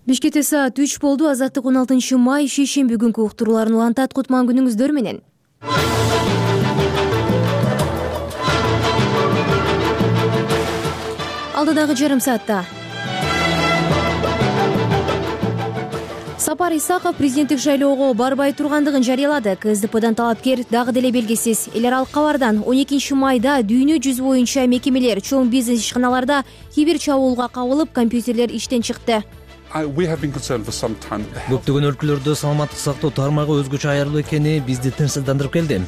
Бишкекте саат 3 болду. Азаттык 16 май шейшемби күнкү уктурууларын улантат. Кутман күнүңүздөр менен. Алдыдагы жарым саатта Сапар Исаков президенттик шайлоого барбай тургандыгын жарыялады. КСДПдан талапкер дагы деле белгисиз. Эл аралык кабардан 12 майда дүйнө жүзү боюнча мекемелер, чоң бизнес ишканаларда киберчабуулга кабылып, компьютерлер иштен чыкты. Көптөгөн өлкөлөрдө саламаттык сактоо тармагы өзгөчө аярлуу экени бизди тынчсыздандырып келди.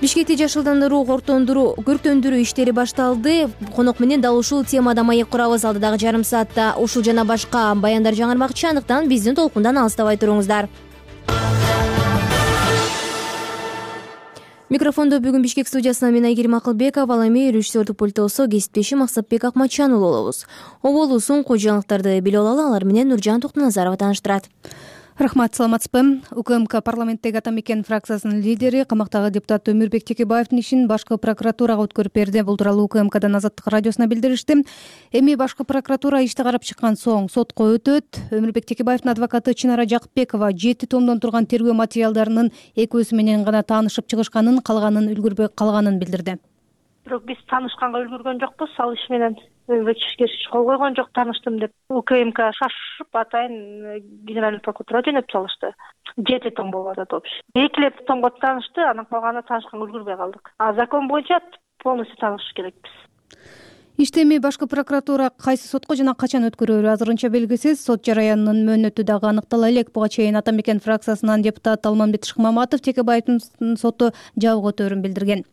Бишкекте жашылдандыруу, көрктөндүрүү иштери башталды. Конок менен дал ушул темада маек курабыз. Алдыдагы жарым саатта ушул жана башка баяндар жаңырмакчы, андыктан биздин толкундан алыстабай туруңуздар. Микрофондо бүгүн Бишкек студиясынан мен Айгерим Акылбеков, ал эми режиссердик пультосо кесиптешим Максатбек Акматчан болобуз. Оболу соң кожоюлуктарды билип алалы, алар менен Нуржан Токтоназарова тааныштырат. Рахмат, саламатсызбы? УКМК парламенттеги Ата Мекен фракциясынын лидери, камактагы депутат Өмүрбек Текебаевдин ишин башкы прокуратурага өткөрүп берди. Бул тууралуу УКМКдан Азаттык радиосуна билдиришти. Эми башкы прокуратура ишти карап чыккан соң сотко өтөт. Өмүрбек Текебаевдин адвокаты Чынара Жакыпбекова 7 томдон турган тергөө материалдарынын экөөсү менен гана таанышып чыгышканын, калганын үлгүрбөй калганын билдирди. Бирок биз таанышканга үлгүргөн жокпуз. Ал иш менен кол койгон жок, тааныштым деп. УКМК шашып атайын генеральный прокуратура жөнөтүп салышты. 7 том болуп атат общий. 2 томго таанышты, анан калганы таанышканга үлгүрбөй калдык. Закон боюнча полностью таанышыш керекпиз. Ишти эми башкы прокуратура кайсы сотко жана качан өткөрөөрү азырынча белгисиз. Сот жараянынын мөөнөтү дагы аныктала элек. Буга чейин Ата Мекен фракциясынан депутат Алмамбет Шыкмаматов Текебаевдин соту жабык өтөөрүн билдирген.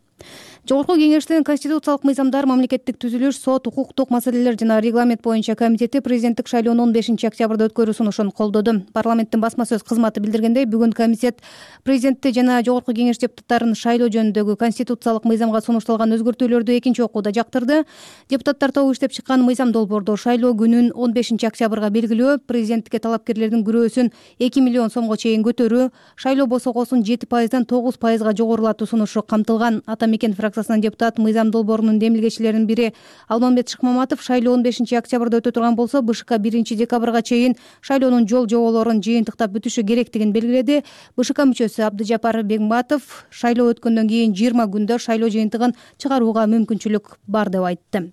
Жогорку кеңештин конституциялык мыйзамдар, мамлекеттик түзүлүш, сот, укуктук маселелер жана регламент боюнча комитети президенттик шайлоонун 15 октябрда өткөрүү сунушун колдоду. Парламенттин басма сөз кызматы билдиргендей, бүгүн комитет президентти жана жогорку кеңеш депутаттарын шайлоо жөнүндөгү конституциялык мыйзамга сунушталган өзгөртүүлөрдү экинчи окууда жактырды. Депутаттар тобу иштеп чыккан мыйзам долбоордо шайлоо күнүн 15 октябрга белгилөө, президенттикке талапкерлердин күрөөсүн 2 миллион сомго чейин көтөрүү, шайлоо босогосун 7%дан 9%га жогорулатуу сунушу камтылган. Ата Мекен фракциясынан депутат мыйзам долбоорунун демилгечилеринин бири Алмамбет Шыкмаматов шайлоо 15 октябрда өтө турган болсо, БШК 1 декабрга чейин шайлоонун жол-жоболорун жыйынтыктап бүтүшү керектигин белгиледи. БШК мүчөсү Абдыжапар Бегматов шайлоо өткөндөн кийин 20 күндө шайлоо жыйынтыгын чыгарууга мүмкүнчүлүк бар деп айтты.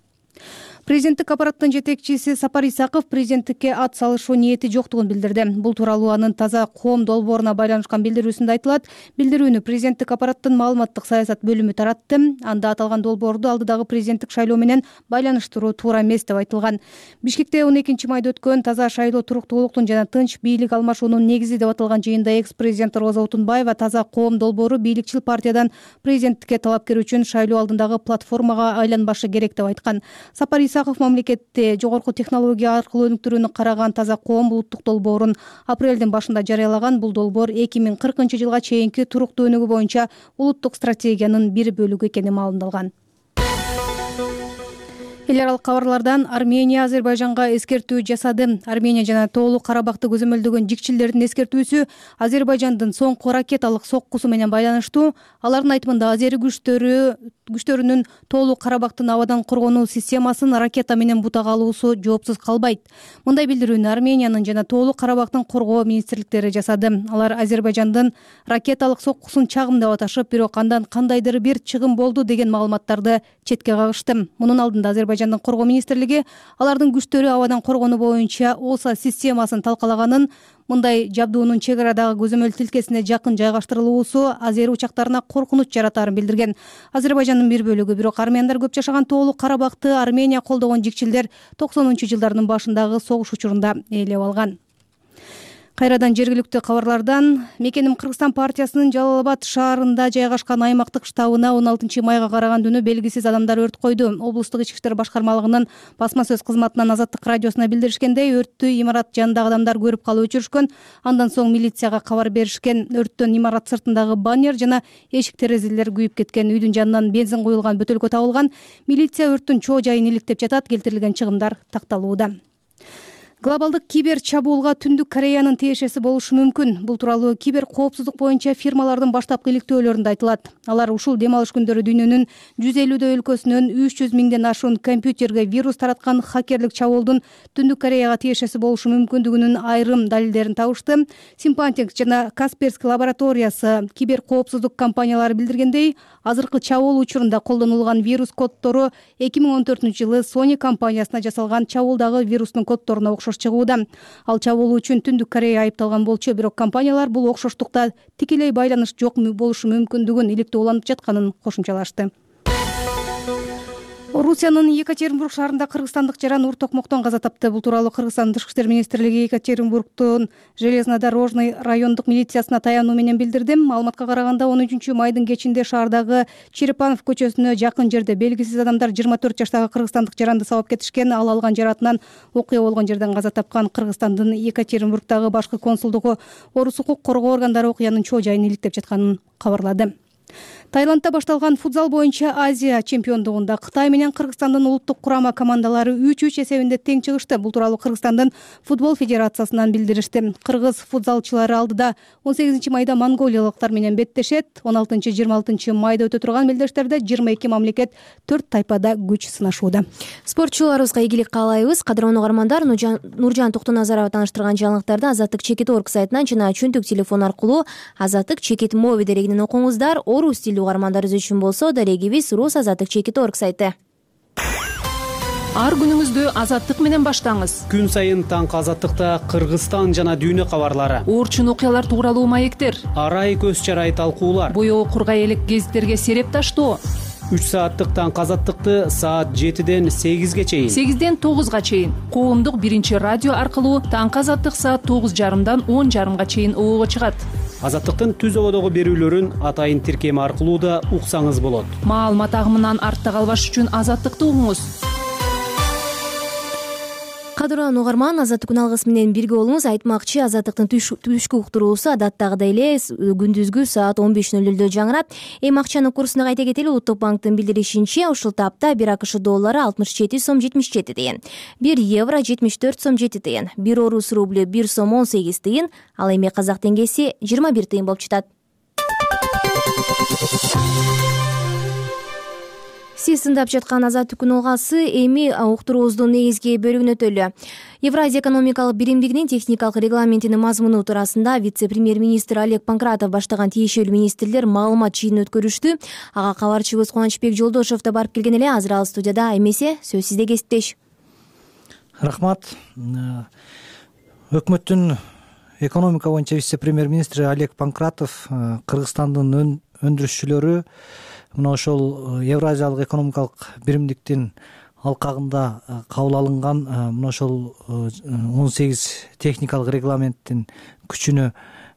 Президенттик аппараттын жетекчиси Сапар Исаков президенттикке ат салышуу ниети жоктугун билдирди. Бул тууралуу анын таза коом долбооруна байланышкан билдирүүсүндө айтылат. Билдирүүнү президенттик аппараттын маалыматтык саясат бөлүмү таратты. Анда аталган долбоорду алдыдагы президенттик шайлоо менен байланыштыруу туура эмес деп айтылган. Бишкекте 12 майда өткөн таза шайлоо туруктуулуктун жана тынч бийлик алмашуунун негизи деп аталган жыйында экс-президент Роза Отунбаева таза коом долбоору бийликчил партиядан президенттикке талапкер үчүн шайлоо алдындагы платформага айланбашы керек деп айткан. Сапар Исаков мамлекетте жогорку технология аркылуу өнүктүрүүнү караган таза коом улуттук долбоорун апрелдин башында жарыялаган. Бул долбоор 2040 жылга чейинки туруктуу өнүгүү боюнча улуттук стратегиянын бир бөлүгү экени маалымдалган. Эл аралык кабарлардан Армения Азербайжанга эскертүү жасады. Армения жана Тоолуу Карабакты көзөмөлдөгөн жикчилердин эскертүүсү Азербайжандын соңку ракеталык соккусу менен байланыштуу. Алардын айтымында азери күчтөрүнүн Тоолуу Карабактын абадан коргонуу системасын ракета менен бутага алуусу жоопсуз калбайт. Мындай билдирүүнү Армениянын жана Тоолуу Карабактын коргоо министрликтери жасады. Алар Азербайжандын ракеталык соккусун чагым деп аташып, бирок андан кандайдыр бир чыгым болду деген маалыматтарды четке кагышты. Мунун алдында Азербайжандын коргоо министрлиги алардын күчтөрү абадан коргонуу боюнча ОСА системасын талкалаганын, мындай жабдуунун чек арадагы көзөмөл тилкесине жакын жайгаштырылуусу азери учактарына коркунуч жаратаарын билдирген. Азербайжандын бир бөлүгү, бирок армяндар көп жашаган Тоолуу Карабакты Армения колдогон жикчилдер 90-жылдардын башындагы согуш учурунда ээлеп алган. Кайрадан жергиликтүү кабарлардан Мекеним Кыргызстан партиясынын Жалал-Абад шаарында жайгашкан аймактык штабына 16 майга караган түнү белгисиз адамдар өрт койду. Облустук ички иштер башкармалыгынын басма сөз кызматынан Азаттык радиосуна билдиришкендей, өрттү имарат жанындагы адамдар көрүп калып өчүрүшкөн. Андан соң милицияга кабар беришкен. Өрттөн имарат сыртындагы баннер жана эшик терезелер күйүп кеткен. Үйдүн жанынан бензин куюлган бөтөлкө табылган. Милиция өрттүн чоо жайын иликтеп жатат. Келтирилген чыгымдар такталууда. Глобалдык кибер чабуулга Түндүк Кореянын тиешеси болушу мүмкүн. Бул тууралуу кибер коопсуздук боюнча фирмалардын баштапкы иликтөөлөрүндө айтылат. Алар ушул дем алыш күндөрү дүйнөнүн 150 өлкөсүнөн 300 миңден ашуун компьютерге вирус тараткан хакерлик чабуулдун Түндүк Кореяга тиешеси болушу мүмкүндүгүнүн айрым далилдерин табышты. Симпантинг жана Касперский лабораториясы кибер коопсуздук компаниялары билдиргендей, азыркы чабуул учурунда колдонулган вирус коддору 2014-жылы Sony компаниясына жасалган чабуулдагы вирустун коддоруна окшош чыгууда. Ал чабуул үчүн Түндүк Корея айыпталган болчу, бирок компаниялар бул окшоштукта тикелей байланыш жок болушу мүмкүндүгүн иликтөө уланып жатканын кошумчалашты. Орусиянын Екатеринбург шаарында кыргызстандык жаран ур токмоктон каза тапты. Бул тууралуу Кыргызстан Тышкы иштер министрлиги Екатеринбургдун железнодорожный райондук милициясына таянуу менен билдирди. Маалыматка караганда 13 майдын кечинде шаардагы Черепанов көчөсүнө жакын жерде белгисиз адамдар 24 жаштагы кыргызстандык жаранды сабап кетишкен. Ал алган жаратынан окуя болгон жерден каза тапкан. Кыргызстандын Екатеринбургдагы башкы консулдугу орус укук коргоо органдары окуянын чоо жайын иликтеп жатканын кабарлады. Таиландда башталган футзал боюнча Азия чемпиондугунда Кытай менен Кыргызстандын улуттук курама командалары 3-3 эсебинде тең чыгышты. Бул тууралуу Кыргызстандын футбол федерациясынан билдиришти. Кыргыз футзалчылары алдыда 18 майда монголиялыктар менен беттешет. 16-26 майда өтө турган мелдештерде 22 мамлекет 4 тайпада күч сынашууда. Спортчуларыбызга ийгилик каалайбыз. Кадырлуу угармандар, Нуржан Токтоназарова тааныштырган жаңылыктарды Азаттык Чекит.org сайтынан жана чөнтүк телефон аркылуу Азаттык Чекит моби дерегинен окуңуздар. Орус тилдүү угармандарыбыз үчүн болсо дарегибиз Рус Азаттык Чекит.org сайты. Ар күнүңүздү Азаттык менен баштаңыз. Күн сайын таңкы Азаттыкта Кыргызстан жана дүйнө кабарлары, Орчун окуялар тууралуу маектер, арай көз чарай талкуулар, боёо кургай элек гезиттерге сереп таштоо. 3 сааттык таңкы Азаттыкты саат 7ден 8ге чейин, 8ден 9га чейин коомдук биринчи радио аркылуу таңкы Азаттык саат 9:30дан 10:30га чейин оого чыгат. Азаттыктын түз ободогу берүүлөрүн атайын тиркеми аркылуу да уксаңыз болот. Маалымат агымынан артта калбаш үчүн Азаттыкты угуңуз. Кадырлуу угарман, Азаттык күн алгысы менен бирге болуңуз. Айтмакчы, Азаттыктын түшкү уктуруусу адаттагыдай эле күндүзгү саат 15:00 жаңырат. Эми акчанын курсуна кайта кетели. Улуттук банктын билдиришинче, ушул тапта 1 АКШ доллары 67 сом 77 тыйын, 1 евро 74 сом 7 тыйын, 1 орус рублю 1 сом 18 тыйын, ал эми казак теңгеси 21 тыйын болуп жатат. Сиз тыңдап жаткан Азаттык күн алгасы эми уктуруубуздун негизги бөлүгүнө өтөлү. Евразия экономикалык биримдигинин техникалык регламентинин мазмуну туурасында вице-премьер-министр Олег Панкратов баштаган тиешелүү министрлер маалымат жыйынын өткөрүштү. Ага кабарчыбыз Кубанычбек Жолдошев да барып келген эле. Азыр ал студияда. Эмесе сөз сизде, кесиптеш. Рахмат. Өкмөттүн экономика боюнча вице-премьер-министри Олег Панкратов Кыргызстандын өндүрүшчүлөрү мына ошол Евразиялык экономикалык биримдиктин алкагында кабыл алынган мына ошол 18 техникалык регламенттин күчүнө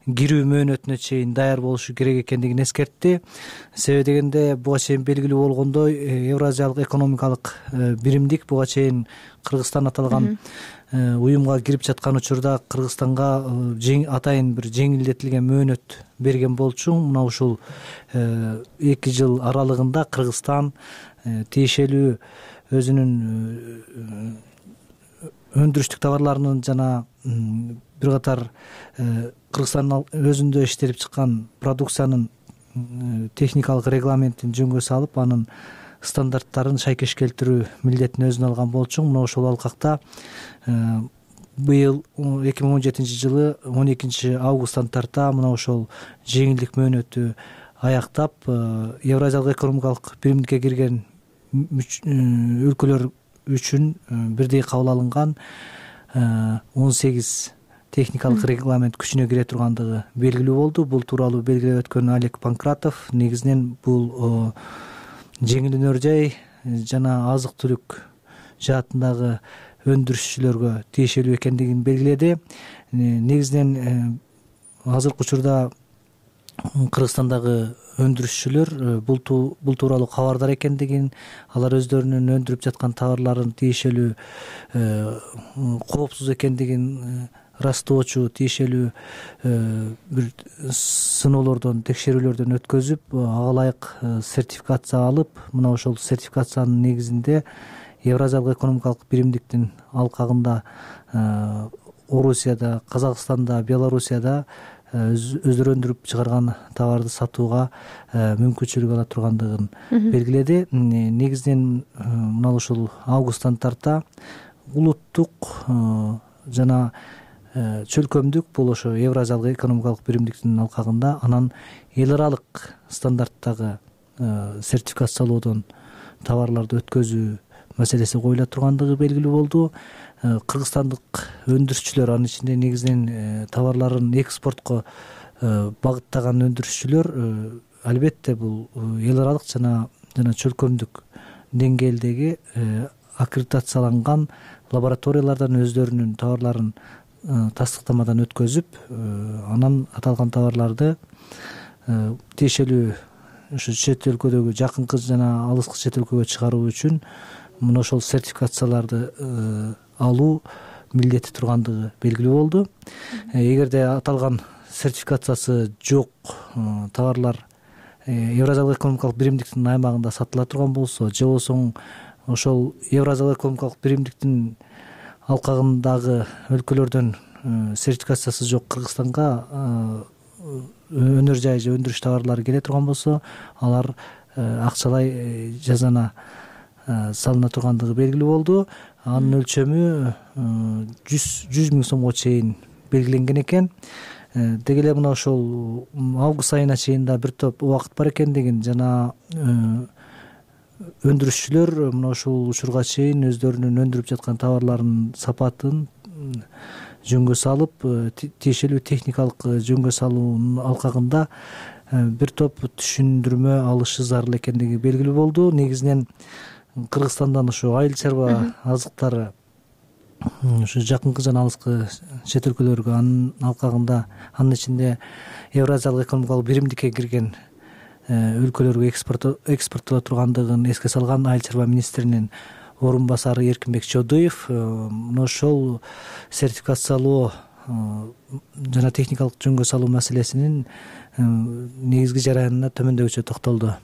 кирүү мөөнөтүнө чейин даяр болушу керек экендигин эскертти. Себеби дегенде буга чейин белгилүү болгондой, Евразиялык экономикалык биримдик буга чейин Кыргызстан аталган уюмга кирип жаткан учурда Кыргызстанга атайын бир жеңилдетилген мөөнөт берген болчу. Мына ушул 2 жыл аралыгында Кыргызстан тиешелүү өзүнүн өндүрүштүк товарларынын жана бир катар Кыргызстандын өзүндө иштелип чыккан продукциянын техникалык регламентин жөнгө салып, анын стандарттарын шайкеш келтирүү милдетин өзүнө алган болчу. Мына ошол алкакта быйыл 2017 жылы 12 августтан тарта мына ошол жеңилдик мөөнөтү аяктап, Евразиялык экономикалык биримдикке кирген өлкөлөр үчүн бирдей кабыл алынган 18 техникалык регламент күчүнө кире тургандыгы белгилүү болду. Бул тууралуу белгилеп өткөн Олег Панкратов негизинен бул жеңил өнөр жай жана азык түлүк жаатындагы өндүрүшчүлөргө тиешелүү экендигин белгиледи. Негизинен азыркы учурда Кыргызстандагы өндүрүшчүлөр бул тууралуу кабардар экендигин, алар өздөрүнүн өндүрүп жаткан товарларын тиешелүү коопсуз экендигин ырастоочу тиешелүү бир сыноолордон, текшерүүлөрдөн өткөзүп, ага ылайык сертификация алып, мына ошол сертификациянын негизинде Евразиялык экономикалык биримдиктин алкагында Орусияда, Казакстанда, Белоруссияда өздөрү өндүрүп чыгарган товарды сатууга мүмкүнчүлүк ала тургандыгын белгиледи. Негизинен мына ушул августтан тарта улуттук жана чөлкөмдүк бул ошо Евразиялык экономикалык биримдиктин алкагында анан эл аралык стандарттагы сертификациялоодон товарларды өткөзүү маселеси коюла тургандыгы белгилүү болду. Кыргызстандык өндүрүшчүлөр, анын ичинде негизинен товарларын экспортко багыттаган өндүрүшчүлөр албетте бул эл аралык жана чөлкөмдүк деңгээлдеги аккредитацияланган лабораториялардан өздөрүнүн товарларын тастыктамадан өткөзүп, анан аталган товарларды тиешелүү ушу чет өлкөдөгү жакынкы жана алыскы чет өлкөгө чыгаруу үчүн мына ошол сертификацияларды алуу милдети тургандыгы белгилүү болду. Эгерде аталган сертификациясы жок товарлар Евразиялык экономикалык биримдиктин аймагында сатыла турган болсо, же болбосо ошол Евразиялык экономикалык биримдиктин алкагындагы өлкөлөрдөн сертификациясы жок Кыргызстанга өнөр жай же өндүрүш товарлары келе турган болсо, алар акчалай жазана салына тургандыгы белгилүү болду. Анын өлчөмү 100 миң сомго чейин белгиленген экен. Деги эле мына ошол август айына чейин да бир топ убакыт бар экендигин жана өндүрүшчүлөр мына ушул учурга чейин өздөрүнүн өндүрүп жаткан товарларынын сапатын жөнгө салып, тиешелүү техникалык жөнгө салуунун алкагында бир топ түшүндүрмө алышы зарыл экендиги белгилүү болду. Негизинен Кыргызстандан ошо айыл чарба азыктары ушу жакынкы жана алыскы чет өлкөлөргө, анын алкагында, анын ичинде Евразиялык экономикалык биримдикке кирген өлкөлөргө экспорттоло тургандыгын эске салган айыл чарба министринин орун басары Эркинбек Чодуев мына ошол сертификациялоо жана техникалык жөнгө салуу маселесинин негизги жараянына төмөндөгүчө токтолду.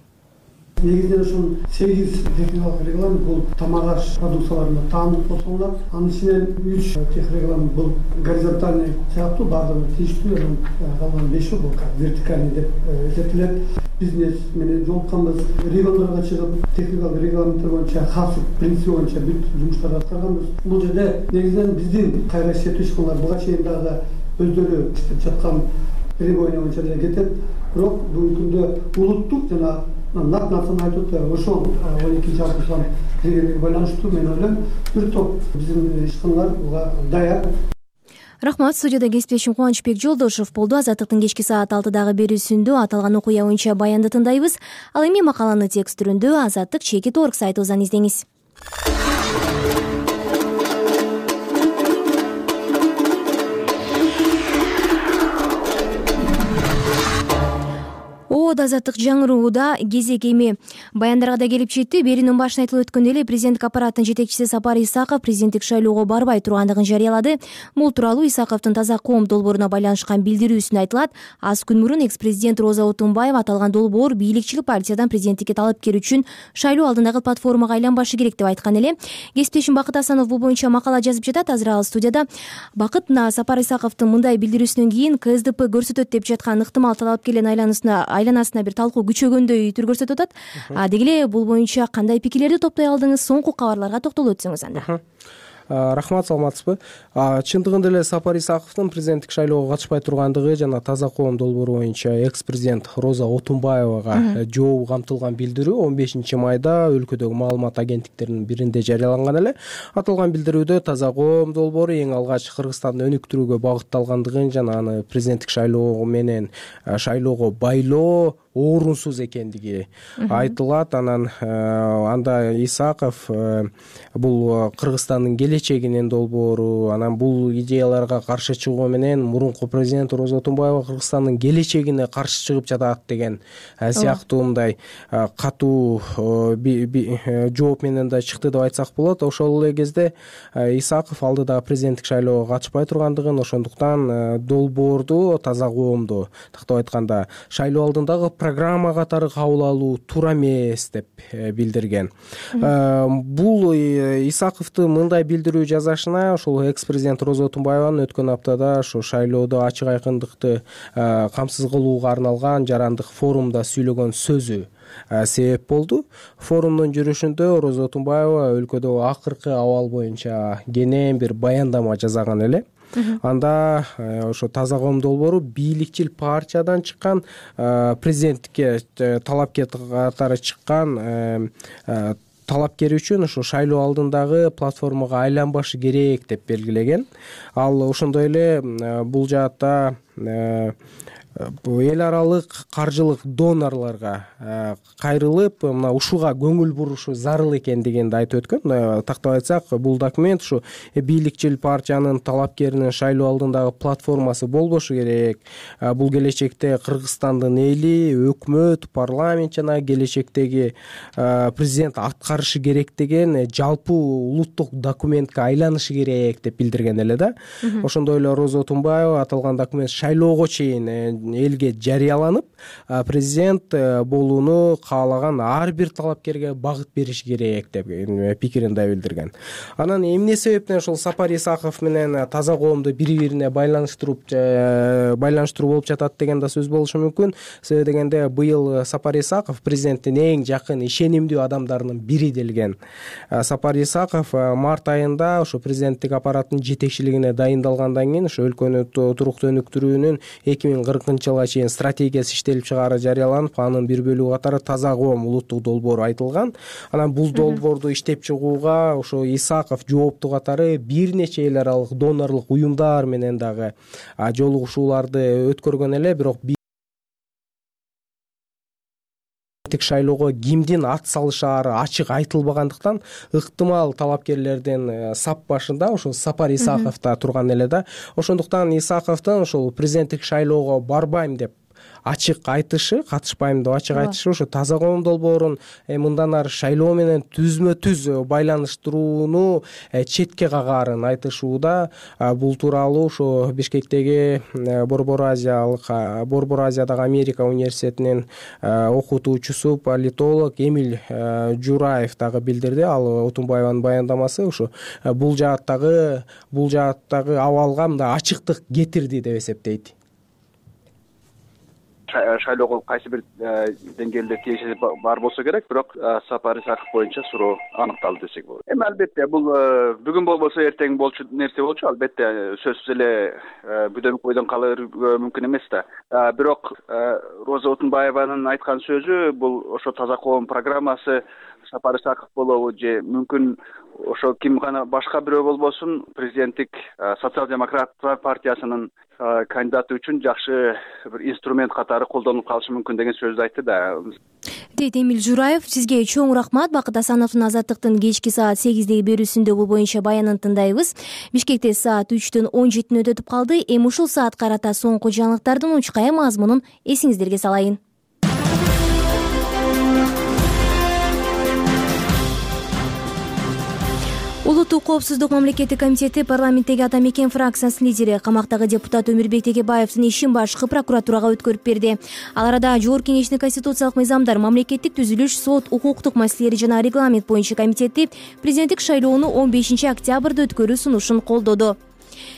Негизинен ушул 8 техникалык регламент бул тамак-аш продукцияларына таандык болсоңор, анын ичинен 3 тех регламент бул горизонтальный сыяктуу баардыгы тийиштүү, анан калган 5 бул вертикальный деп эсептелет. Бизнес менен жолукканбыз, региондорго чыгып техникалык регламенттер боюнча касып принципи боюнча бүт жумуштарды аткарганбыз. Бул жерде негизинен биздин кайра иштеп ишканалар буга чейин дагы өздөрү иштеп жаткан требования боюнча деле кетет. Бирок бүгүнкү күндө улуттук жана нат нарсаны айтып атпайбы, ошол 12-60 дегенге байланыштуу мен ойлойм бир топ биздин ишканалар буга даяр. Рахмат. Студияда кесиптешим Кубанычбек Жолдошев болду. Азаттыктын кечки саат 6дагы берүүсүндө аталган окуя боюнча баянды тыңдайбыз. Ал эми макаланы текст түрүндө Азаттык чекит орг сайтыбыздан издеңиз. Азаттык жаңырууда кезек эми баяндарга да келип жетти. Берүүнүн башында айтылып өткөндөй эле президенттик аппараттын жетекчиси Сапар Исаков президенттик шайлоого барбай тургандыгын жарыялады. Бул тууралуу Исаковдун Таза коом долбооруна байланышкан билдирүүсүндө айтылат. Аз күн мурун экс-президент Роза Отунбаева аталган долбоор бийликчилик партиядан президенттикке талапкер үчүн шайлоо алдындагы платформага айланбашы керек деп айткан эле. Кесиптешим Бакыт Асанов бул боюнча макала жазып жатат. Азыр ал студияда. Бакыт, Сапар Исаковдун мындай билдирүүсүнөн кийин КСДП көрсөтөт деп жаткан ыктымал талапкерлердин айланасына бир талкуу күчөгөндөй түр көрсөтүп атат. Деги эле бул боюнча кандай пикирлерди топтой алдыңыз? Соңку кабарларга токтолуп өтсөңүз анда. Рахмат, саламатсызбы? Чындыгында эле Сапар Исаковдун президенттик шайлоого катышпай тургандыгы жана Таза коом долбоору боюнча экс-президент Роза Отунбаевага жообу камтылган билдирүү 15 майда өлкөдөгү маалымат агенттиктеринин биринде жарыяланган эле. Аталган билдирүүдө Таза коом долбоору эң алгач Кыргызстанды өнүктүрүүгө багытталгандыгын жана аны президенттик шайлоо менен шайлоого байлоо орунсуз экендиги айтылат. Анан анда Исаков бул Кыргызстандын келечегинин долбоору, анан бул идеяларга каршы чыгуу менен мурунку президент Роза Отунбаева Кыргызстандын келечегине каршы чыгып жатат деген сыяктуу мындай катуу жооп менен да чыкты деп айтсак болот. Ошол эле кезде Исаков алдыдагы президенттик шайлоого катышпай тургандыгын, ошондуктан долбоорду Таза коомду тактап айтканда шайлоо алдындагы программа катары кабыл алуу туура эмес деп билдирген. Бул Исаковдун мындай билдирүү жасашына ошол экс президент Роза Отунбаеванын өткөн аптада ошо шайлоодо ачык айкындыкты камсыз кылууга арналган жарандык форумда сүйлөгөн сөзү себеп болду. Форумдун жүрүшүндө Роза Отунбаева өлкөдө акыркы абал боюнча кенен бир баяндама жасаган эле. Анда ошо Таза коом долбоору бийликчил партиядан чыккан, президенттикке талапкер катары чыккан талапкер үчүн ошо шайлоо алдындагы платформага айланбашы керек деп белгилеген. Ал ошондой эле бул жаатта эл аралык каржылык донорлорго кайрылып, мына ушуга көңүл бурушу зарыл экендигинди айтып өткөн. Тактап айтсак, бул документ ушу бийликчил партиянын талапкеринин шайлоо алдындагы платформасы болбошу керек. Бул келечекте Кыргызстандын эли, өкмөт, парламент жана келечектеги президент аткарышы керек деген жалпы улуттук документке айланышы керек деп билдирген эле да. Ошондой эле Роза Отунбаева аталган документ шайлоого чейин элге жарыяланып, президент болууну каалаган ар бир талапкерге багыт бериш керек деп пикирин да билдирген. Анан эмне себептен ошол Сапар Исаков менен Таза коомду бири-бирине байланыштыруу болуп жатат деген да сөз болушу мүмкүн. Себеби дегенде быйыл Сапар Исаков президенттин эң жакын ишенимдүү адамдарынын бири делген. Сапар Исаков март айында ошо президенттик аппараттын жетекчилигине дайындалгандан кийин ошо өлкөнү туруктуу өнүктүрүүнүн 2040 жылга чейин стратегиясы иштелип чыгаары жарыяланып, анын бир бөлүгү катары Таза коом улуттук долбоору айтылган. Анан бул долбоорду иштеп чыгууга ошо Исаков жооптуу катары бир нече эл аралык донорлук уюмдар менен дагы жолугушууларды өткөргөн эле, бирок шайлоого кимдин ат салышаары ачык айтылбагандыктан ыктымал талапкерлердин сап башында ошо Сапар Исаков да турган эле да. Ошондуктан Исаковдун ошол президенттик шайлоого барбайм деп ачык айтышы, катышпайм деп ачык айтышы ошо Таза коом долбоорун мындан ары шайлоо менен түзмө-түз байланыштырууну четке кагаарын айтышууда. Бул тууралуу ошо Бишкектеги Борбор Азиядагы Америка университетинин окутуучусу политолог Эмиль Жураев дагы билдирди. Ал Отунбаеванын баяндамасы ошо бул жааттагы абалга мындай ачыктык кетирди деп эсептейт. Шайлоого кайсы бир деңгээлде тиешеси бар болсо керек, бирок Сапар Исаков боюнча суроо аныкталды десек болот. Албетте бул бүгүн болбосо эртең болчу нерсе болчу. Албетте сөзсүз эле бүдөмүк бойдон калыры мүмкүн эмес да. Бирок Роза Отунбаеванын айткан сөзү бул ошо Таза коом программасы Сапар Исаков болобу же мүмкүн ошо ким гана башка бирөө болбосун президенттик социал-демократтар партиясынын кандидаты үчүн жакшы бир инструмент катары колдонулуп калышы мүмкүн деген сөздү айтты да. Дейт Эмиль Жураев. Сизге чоң рахмат. Бакыт Асановдун Азаттыктын кечки саат 8деги берүүсүндө бул боюнча баянын тындайбыз. Бишкекте саат 3-төн 17 өтүп калды. Эми ушул саат карата соңку жаңылыктардын учкай мазмунун эсиңиздерге салайын. Улуттук коопсуздук мамлекеттик комитети парламенттеги Ата Мекен фракциясынын лидери камактагы депутат Өмүрбек Текебаевдин ишин башкы прокуратурага өткөрүп берди. Ал арада Жогорку Кеңештин конституциялык мыйзамдар, мамлекеттик түзүлүш, сот, укуктук маселелери жана регламент боюнча комитети президенттик шайлоону 15 октябрда өткөрүү сунушун колдоду.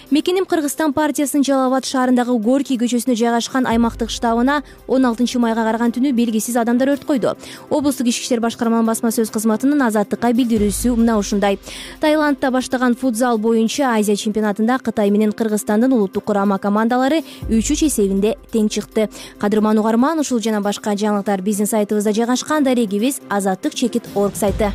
Мекеним Кыргызстан партиясынын Жалал Абад шаарындагы Горький көчөсүнө жайгашкан аймактык штабына 16 майга караган түнү белгисиз адамдар өрт койду. Облустук ички иштер башкарманын басма сөз кызматынын Азаттыкка билдирүүсү мына ушундай. Таиландда баштаган футзал боюнча Азия чемпионатында Кытай менен Кыргызстандын улуттук курама командалары 3-3 эсебинде тең чыкты. Кадырман угарман, ушул жана башка жаңылыктар биздин сайтыбызда жайгашкан. Дарегибиз azattik.org сайты.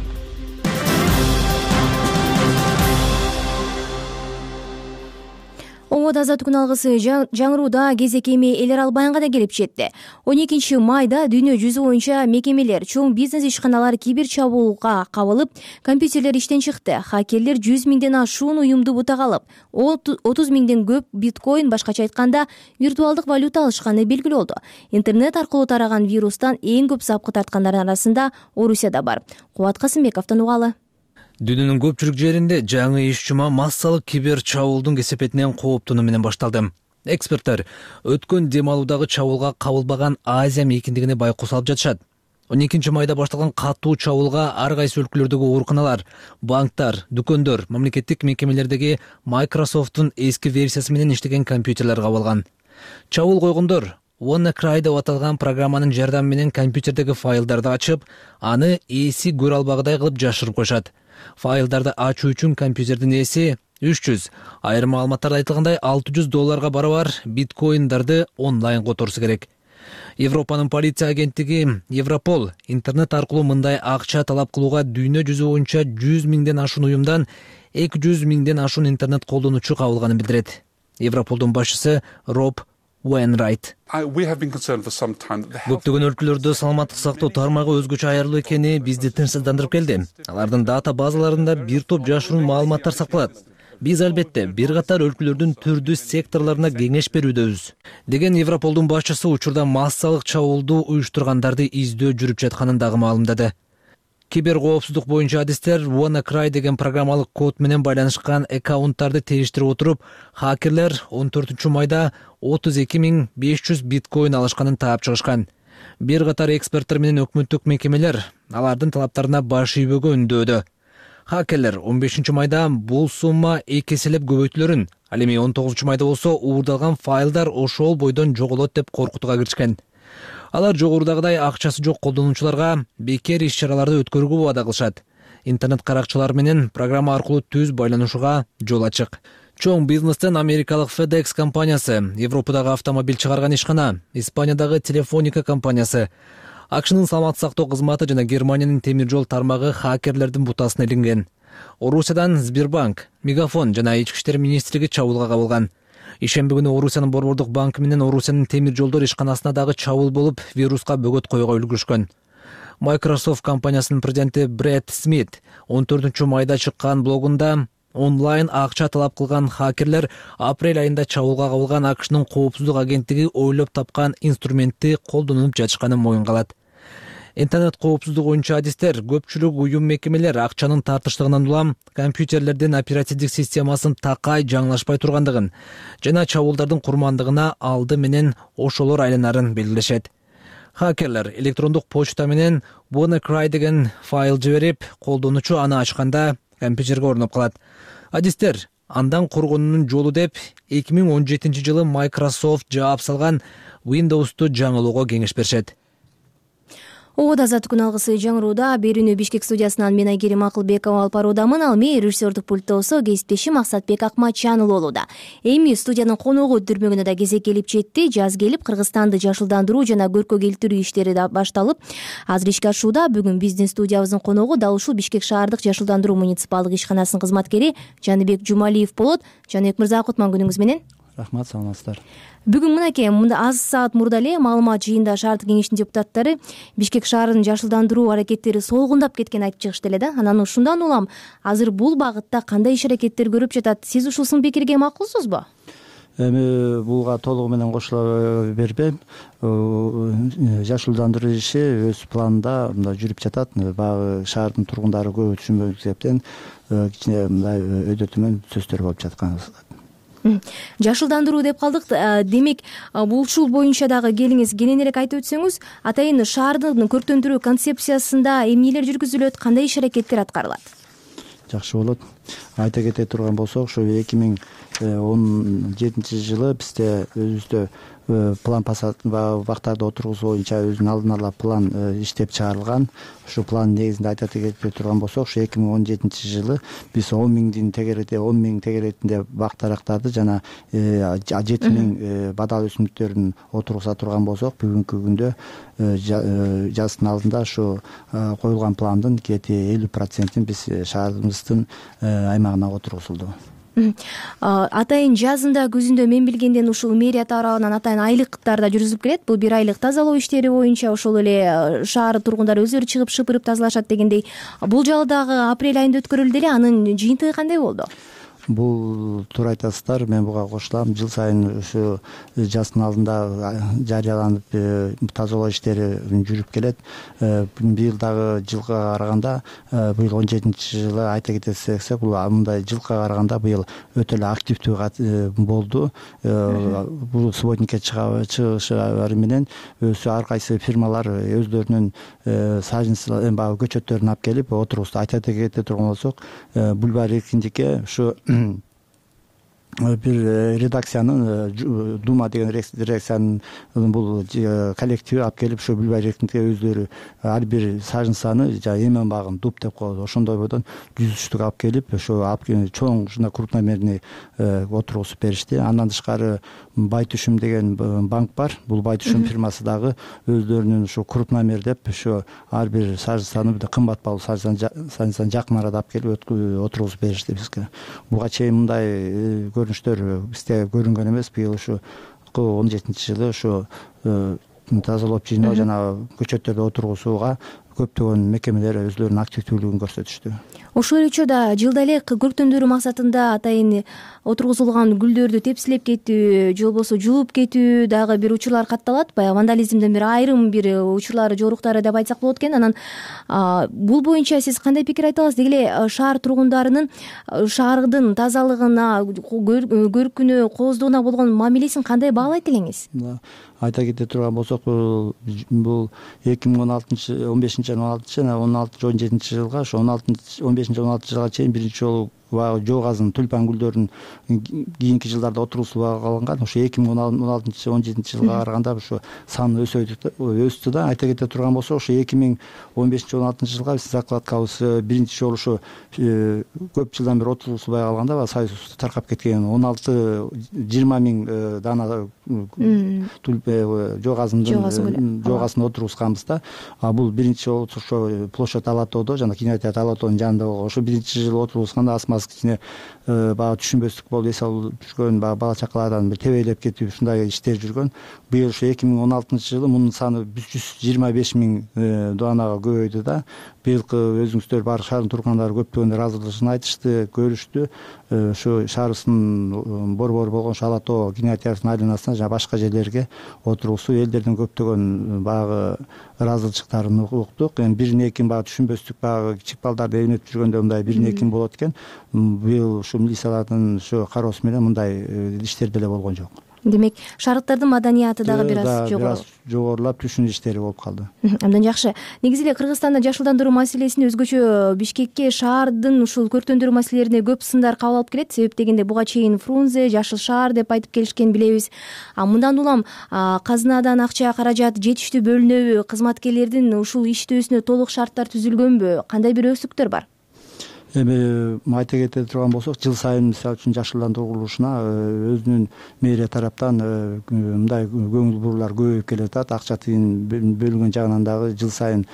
Омод азаттык күн алгысы жаңырууда кезек эми эл аралык баянга да келип жетти. 12 майда дүйнө жүзү боюнча мекемелер, чоң бизнес ишканалар кибер чабуулга кабылып, компьютерлер иштен чыкты. Хакерлер 100 миңден ашуун уюмду бутага алып, 30 миңден көп биткоин, башкача айтканда, виртуалдык валюта алышканы белгилүү болду. Интернет аркылуу тараган вирустан эң көп запкы тарткандардын арасында Орусия да бар. Кубат Касымбековдон угалы. Дүйнөнүн көпчүлүк жеринде жаңы иш жума массалык кибер чабуулдун кесепетинен кооптонуу менен башталды. Эксперттер өткөн дем алуудагы чабуулга кабылбаган Азия мейкиндигине байкоо салып жатышат. 12 майда башталган катуу чабуулга ар кайсы өлкөлөрдөгү ооруканалар, банктар, дүкөндөр, мамлекеттик мекемелердеги Microsoft'тун эски версиясы менен иштеген компьютерлер кабылган. Чабуул койгондор WannaCry деп аталган программанын жардамы менен компьютердеги файлдарды ачып, аны ээси көрө албагыдай кылып жашырып коюшат. Файлдарды ачуу үчүн компьютердин ээси 300, айрым маалыматтарда айтылгандай $600 барабар биткоиндарды онлайн которсу керек. Европанын полиция агенттиги Европол интернет аркылуу мындай акча талап кылууга дүйнө жүзү боюнча 100 миңден ашуун уюмдан 200 миңден ашуун интернет колдонуучу кабылганын билдирет. Европолдун башчысы Роб Wainwright. Көптөгөн өлкөлөрдө саламаттык сактоо тармагы өзгөчө аярлуу экени бизди тынчсыздандырып келди. Алардын дата базаларында бир топ жашыруун маалыматтар сакталат. Биз албетте бир катар өлкөлөрдүн түрдүү секторлоруна кеңеш берүүдөбүз, деген Европолдун башчысы учурда массалык чабуулду уюштургандарды издөө жүрүп жатканын дагы маалымдады. Киберкоопсуздук боюнча адистер WannaCry деген программалык код менен байланышкан аккаунттарды териштирип отуруп, хакерлер 14 майда 32.500 биткоин алышканын таап чыгышкан. Бир катар эксперттер менен өкмөттүк мекемелер алардын талаптарына баш ийбөөгө үндөөдө. Хакерлер 15 майда бул сумма 2 эселеп көбөйтүлөрүн, ал эми 19 майда болсо уурдалган файлдар ошол бойдон жоголот деп коркутууга киришкен. Алар жогорудагыдай акчасы жок колдонуучуларга бекер иш-чараларды өткөрүүгө убада кылышат. Интернет каракчылар менен программа аркылуу түз байланышууга жол ачык. Чоң бизнестен америкалык FedEx компаниясы, Европадагы автомобиль чыгарган ишкана, Испаниядагы Телефоника компаниясы, АКШнын саламаттык сактоо кызматы жана Германиянын темир жол тармагы хакерлердин бутасына илинген. Орусиядан Сбербанк, Мегафон жана Ички иштер министрлиги чабуулга кабылган. Ишемби күнү Орусиянын Борбордук банкы менен Орусиянын темир жолдор ишканасына дагы чабуул болуп, вируска бөгөт коюуга үлгүрүшкөн. Microsoft компаниясынын президенти Брэд Смит 14 майда чыккан блогунда онлайн акча талап кылган хакерлер апрель айында чабуулга кабылган АКШнын коопсуздук агенттиги ойлоп тапкан инструментти колдонуп жатышканын моюнга алат. Интернет коопсуздугу боюнча адистер көпчүлүк уюм мекемелер акчанын тартыштыгынан улам компьютерлердин оперативдик системасын такай жаңылашпай тургандыгын жана чабуулдардын курмандыгына алды менен ошолор айланарын белгилешет. Хакерлер электрондук почта менен WannaCry деген файл жиберип, колдонуучу аны ачканда компьютерге орноп калат. Адистер андан коргонуунун жолу деп 2017 жылы Microsoft жаап салган Windows'ту жаңылоого кеңеш беришет. Оода азат күн алгысы жаңырууда берүүнү Бишкек студиясынан мен Айгерим Акылбекова алып баруудамын. Ал мээ режиссердук пультта болсо кесиптешим Максатбек Акматжанұлы болууда. Эми студиянын коногу дүрмөгүнө да кезек келип жетти. Жаз келип Кыргызстанды жашылдандыруу жана көркө келтирүү иштери да башталып, азыр ишке ашууда. Бүгүн биздин студиябыздын коногу дал ушул Бишкек шаардык жашылдандыруу муниципалдык ишканасынын кызматкери Жаныбек Жумалиев болот. Жаныбек мырза, кутман күнүңүз менен. Рахмат, саламатсыздар. Бүгүн мынакей мында аз саат мурда эле маалымат жыйында шаардык кеңештин депутаттары Бишкек шаарынын жашылдандыруу аракеттери солгундап кеткенин айтып чыгышты эле да. Анан ушундан улам азыр бул багытта кандай иш аракеттер көрүп жатат? Сиз ушул сын пикирге макулсузбу? Эми буга толугу менен кошула бербейм. Жашылдандыруу иши өз планында мындай жүрүп жатат. Баягы шаардын тургундары көп түшүнбөгөн себептен кичине мындай өйдө төмөн сөздөр болуп жаткан. Жашылдандыруу деп калдык. Демек, ушул боюнча дагы келиңиз кененирээк айтып өтсөңүз, атайын шаардын көрктөндүрүү концепциясында эмнелер жүргүзүлөт, кандай иш аракеттер аткарылат? Жакшы болот. Айта кете турган болсок, ушу 2017 жылы бизде өзүбүздө план бактарды отургузуу боюнча өзүнүн алдын ала план иштеп чыгарылган. Ушу план негизинде айта кете турган болсок, ушу 2017 жылы биз 10 миң тегеретинде бак дарактарды жана 7 миң бадал өсүмдүктөрүн отургуза турган болсок, бүгүнкү күндө жаздын алдында ушу коюлган пландын кети 50%-ин биз шаарыбыздын аймагына отургузулду. Атайын жазында, күзүндө мен билгенден ушул мэрия тарабынан атайын айлыктар да жүргүзүлүп келет. Бул 1 айлык тазалоо иштери боюнча ошол эле шаар тургундары өздөрү чыгып шыпырып тазалашат дегендей. Бул жолу дагы апрель айында өткөрүлдү эле. Анын жыйынтыгы кандай болду? бул туура айтасыздар, мен буга кошулам. Жыл сайын ушу жаздын алдында жарыяланып тазалоо иштери жүрүп келет. Быйыл дагы жылга караганда, быйыл 17-жылы айта кетсек, бул мындай жылга караганда быйыл өтө эле активдүү болду. Бул субботникке чыгышары менен ар кайсы фирмалар өздөрүнүн баягы көчөттөрүн алып келип отургузду. Айта кете турган болсок, Бульвар Эркиндикке ушу бир редакциянын Дума деген редакциянын бул коллективи алып келип ушу Бульвар Эркиндикке өздөрү ар бир сажын саны эмен багын дуб деп коет, ошондой бойдон 100 штук алып келип ошо чоң ушундай крупномерный отургузуп беришти. Андан тышкары Байтүшүм деген банк бар. Бул Байтүшүм фирмасы дагы өздөрүнүн ушу крупномер деп ушу ар бир сажын саны кымбат баалуу сажын саны жакын арада алып келип отургузуп беришти бизге. Буга чейин мындай көрүнүштөр бизде көрүнгөн эмес. Быйыл ушу 17-жылы ушу тазалоп жыйноо жана көчөттөрдү отургузууга көптөгөн мекемелер өздөрүнүн активдүүлүгүн көрсөтүштү. Ошол эле учурда жылда эле көрктөндүрүү максатында атайын отургузулган гүлдөрдү тепсилеп кетүү же болбосо жулуп кетүү дагы бир учурлар катталат. Баягы вандализмдин бир айрым бир учурлары жоруктары деп айтсак болот экен. Анан бул боюнча сиз кандай пикир айта аласыз? Деги эле шаар тургундарынын шаардын тазалыгына, көркүнө, кооздугуна болгон мамилесин кандай баалайт элеңиз? Айта кете турган болсок, бул 2015 жана 16-17 жылга, ошо 15-16 жылга чейин биринчи жолу жоо газын тюльпан гүлдөрүнүн кийинки жылдарда отургузулууга калган. Ошо 2016-17 жылга караганда ошо саны өстү да. Айта кете турган болсок, ошо 2015-16 жылга биздин закладкабыз биринчи жолу ошо көп жылдан бери отургузулбай калганда союз таркап кеткен 16-20 миң дана жоо газын отургузганбыз да. Бул биринчи жолу ошо площадь Ала тоодо жана кинотеатр Ала тоонун жанында болгон. Ошо биринчи жылы отургузганда асмасы кичине баягы түшүнбөстүк болуп, эс алып жүргөн бала чакалардан бир тебелеп кетип ушундай иштер жүргөн. Быйыл ошо 2016-жылы мунун саны 125 миң данага көбөйдү да. Быйылкы өзүңүздөр бар шаардын тургундары көптөгөн ыраазычылыгын айтышты, көрүштү. Ушу шаарыбыздын борбору болгон Ала тоо кинотеатрынын айланасына жана башка жерлерге отургузуу элдердин көптөгөн баягы ыраазычылыктарын уктук. Эми бирин экин баягы түшүнбөстүк баягы кичик балдарды эбинетип жүргөндө мындай бирин экин болот экен. Быйыл ушу милициялардын ушу кароосу менен мындай иштер деле болгон жок. Демек, шаардыктардын маданияты дагы бир аз жогорулап, түшүнүү иштери болуп калды. Абдан жакшы. Негизи эле Кыргызстанда жашылдандыруу маселесин өзгөчө Бишкекке шаардын ушул көрктөндүрүү маселелерине көп сындар кабыл алып келет. Себеп дегенде буга чейин Фрунзе, Жашыл шаар деп айтып келишкен билебиз. Мындан улам казынадан акча, каражат жетиштүү бөлүнөбү? Кызматкерлердин ушул иштөөсүнө толук шарттар түзүлгөнбү? Кандай бир өсүктөр бар? Эми айта кете турган болсок, жыл сайын мисалы үчүн жашылдандыруу курулушуна өзүнүн мэрия тараптан мындай көңүл буруулар көбөйүп келе жатат. Акча тыйын бөлүнгөн жагынан дагы жыл сайын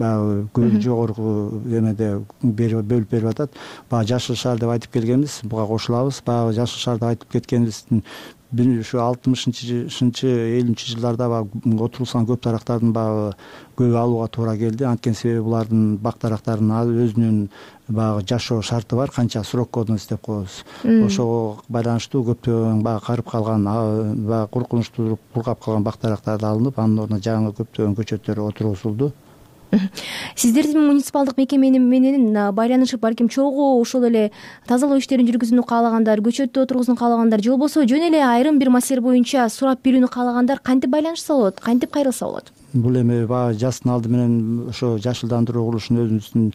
баягы жогорку эмеде бөлүп берип атат. Баягы Жашыл шаар деп айтып келгенбиз, буга кошулабыз. Баягы Жашыл шаар деп айтып кеткенибиздин ушу 60-70 жылдарда баягы отургузган көп дарактардын баягы көбү алууга туура келди. Анткени себеби булардын бак дарактарынын өзүнүн баягы жашоо шарты бар, канча срок годность деп коебуз. Ошого байланыштуу көптөгөн баягы карып калган, баягы коркунучтуу кургап калган бак дарактарды алынып, анын ордуна жаңы көптөгөн көчөттөр отургузулду. Сиздердин муниципалдык мекеме менен байланышып, балким чогуу ошол эле тазалоо иштерин жүргүзүүнү каалагандар, көчөттү отургузууну каалагандар же болбосо жөн эле айрым бир маселе боюнча сурап билүүнү каалагандар кантип байланышса болот, кантип кайрылса болот? Бул эми баягы жаздын алды менен ошо жашылдандыруу курулушун өзүбүздүн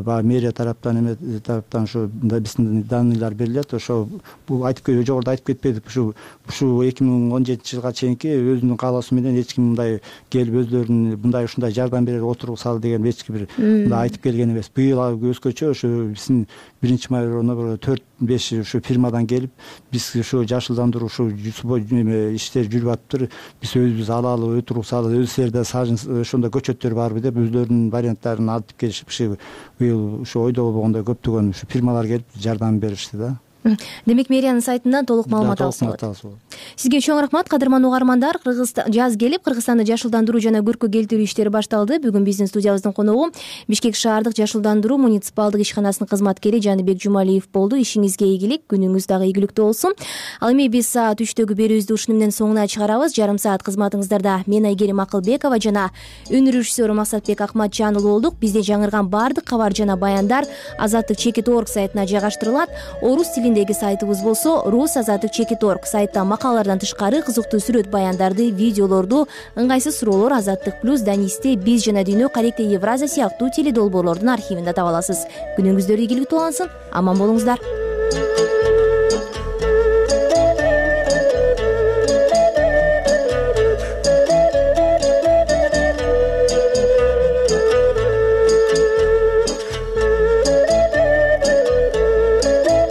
баягы мэрия тараптан ошо биздин данныйлар берилет. Ошо бул жогоруда айтып кетпедик, ушу 2017 жылга чейинки өзүнүн каалоосу менен эч ким мындай келип өздөрүнүн мындай ушундай жардам берели, отургузалы деген эч ким мындай айтып келген эмес. Быйыл өзгөчө ошо биздин 1-май 4-5 ушу фирмадан келип, биз ушу жашылдандыруу ушу иштер жүрүп атыптыр, биз өзүбүз алалы, отургузалы, силерде сажын ошондой көчөттөр барбы деп өздөрүнүн варианттарын айтып келишип, быйыл ушу ойдо болбогондой көптөгөн ушу фирмалар келип жардам беришти да. Демек мэриянын сайтынан толук маалымат алса болот. Сизге чоң рахмат, кадырман угармандар. Жаз келип, Кыргызстанды жашылдандыруу жана көркө келтирүү иштери башталды. Бүгүн биздин студиябыздын коногу Бишкек шаардык жашылдандыруу муниципалдык ишканасынын кызматкери Жаныбек Жумалиев болду. Ишиңизге ийгилик, күнүңүз дагы ийгиликтүү болсун. Ал эми биз саат 3-төгү берүүбүздү ушуну менен соңуна чыгарабыз. Жарым саат кызматыңыздарда мен Айгерим Акылбекова жана өнөр режиссеру Максатбек Акматжанұлы болдук. Бизде жаңырган баардык кабар жана баяндар Азаттык Чекит.org сайтына жайгаштырылат. Орус тилиндеги сайтыбыз болсо Рус Азаттык Чекит.org. Сайтта макалалардан тышкары кызыктуу сүрөт баяндарды, видеолорду, ыңгайсыз суроолор Азаттык плюс, Данисте, Биз жана Дүйнө, Каректе, Евразия сыяктуу теледолбоорлордун архивинде таба аласыз. Күнүңүздөр ийгиликтүү улансын, аман болуңуздар.